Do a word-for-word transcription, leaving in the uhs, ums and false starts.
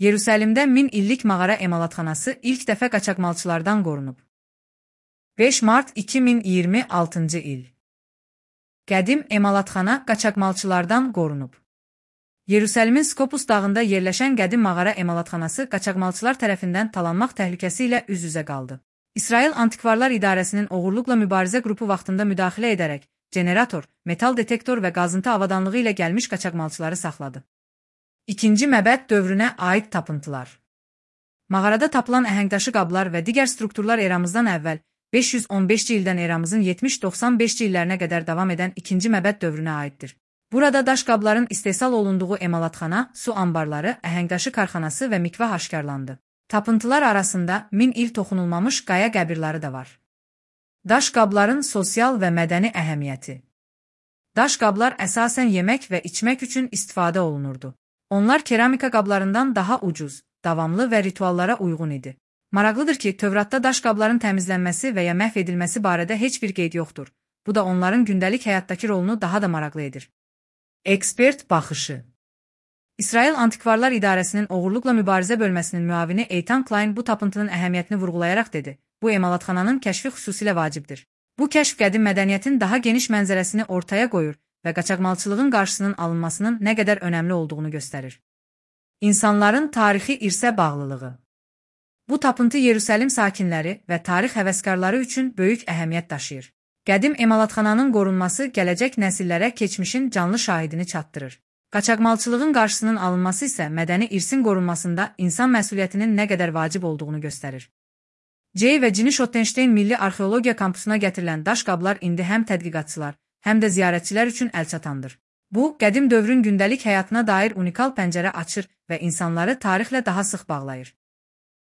Yerusəlimdə min illik mağara emalatxanası ilk dəfə qaçaqmalçılardan qorunub. beş mart iki min iyirmi altıncı il. Qədim emalatxana qaçaqmalçılardan qorunub. Yerusəlimin Skopus dağında yerləşən qədim mağara emalatxanası qaçaqmalçılar tərəfindən talanmaq təhlükəsi ilə üz-üzə qaldı. İsrail Antikvarlar İdarəsinin oğurluqla mübarizə qrupu vaxtında müdaxilə edərək, generator, metal detektor və qazıntı avadanlığı ilə gəlmiş qaçaqmalçıları saxladı. İkinci məbəd dövrünə aid tapıntılar. Mağarada tapılan əhəngdaşı qablar və digər strukturlar eramızdan əvvəl beş yüz on beşinci ildən eramızın yetmiş doxsan beşinci illərinə qədər davam edən ikinci məbəd dövrünə aiddir. Burada daş qabların istehsal olunduğu emalatxana, su anbarları, əhəngdaşı karxanası və mikvah aşkarlandı. Tapıntılar arasında min il toxunulmamış qaya qəbirləri də var. Daş qabların sosial və mədəni əhəmiyyəti. Daş qablar əsasən yemək və içmək üçün istifadə olunurdu. Onlar keramika qablarından daha ucuz, davamlı və rituallara uyğun idi. Maraqlıdır ki, Tövratda daş qabların təmizlənməsi və ya məhv edilməsi barədə heç bir qeyd yoxdur. Bu da onların gündəlik həyatdakı rolunu daha da maraqlı edir. Ekspert baxışı. İsrail Antikvarlar İdarəsinin oğurluqla mübarizə bölməsinin müavini Eytan Klein bu tapıntının əhəmiyyətini vurğulayaraq dedi, bu emalatxananın kəşfi xüsusilə vacibdir. Bu kəşf qədim mədəniyyətin daha geniş mənzərəsini ortaya qoyur və qaçaqmalçılığın qarşısının alınmasının nə qədər önəmli olduğunu göstərir. İnsanların tarixi irsə bağlılığı. Bu tapıntı Yerusəlim sakinləri və tarix həvəskarları üçün böyük əhəmiyyət daşıyır. Qədim emalatxananın qorunması gələcək nəsillərə keçmişin canlı şahidini çatdırır. Qaçaqmalçılığın qarşısının alınması isə mədəni irsin qorunmasında insan məsuliyyətinin nə qədər vacib olduğunu göstərir. Jay və Ginny Schottenstein Milli Arxeologiya Kampusuna gətirilən daş qablar indi həm tədqiqatçılar, həm də ziyarətçilər üçün əlçatandır. Bu, qədim dövrün gündəlik həyatına dair unikal pəncərə açır və insanları tarixlə daha sıx bağlayır.